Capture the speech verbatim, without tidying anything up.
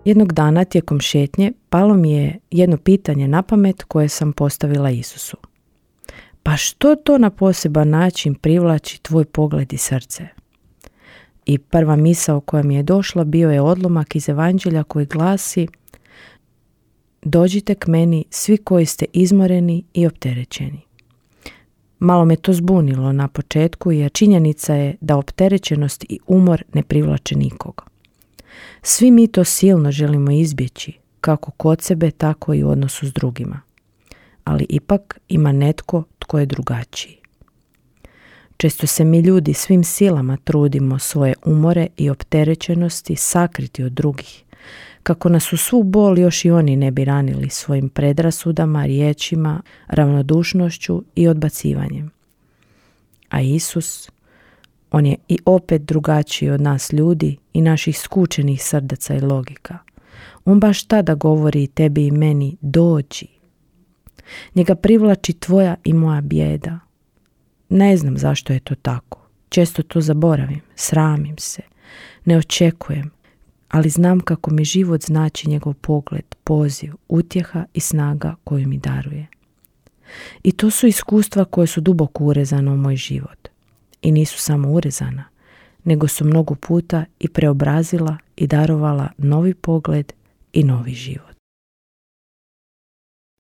Jednog dana tijekom šetnje palo mi je jedno pitanje na pamet koje sam postavila Isusu. Pa što to na poseban način privlači tvoj pogled i srce? I prva misao koja mi je došla bio je odlomak iz Evanđelja koji glasi: dođite k meni svi koji ste izmoreni i opterećeni. Malo me to zbunilo na početku jer činjenica je da opterećenost i umor ne privlače nikoga. Svi mi to silno želimo izbjeći, kako kod sebe, tako i u odnosu s drugima. Ali ipak ima netko tko je drugačiji. Često se mi ljudi svim silama trudimo svoje umore i opterećenosti sakriti od drugih, kako nas u svu bol još i oni ne bi ranili svojim predrasudama, riječima, ravnodušnošću i odbacivanjem. A Isus, on je i opet drugačiji od nas ljudi i naših skučenih srdaca i logika. On baš tada govori tebi i meni: dođi. Njega privlači tvoja i moja bijeda. Ne znam zašto je to tako. Često to zaboravim, sramim se, ne očekujem, ali znam kako mi život znači njegov pogled, poziv, utjeha i snaga koju mi daruje. I to su iskustva koje su duboko urezana u moj život. I nisu samo urezana, nego su mnogo puta i preobrazila i darovala novi pogled i novi život.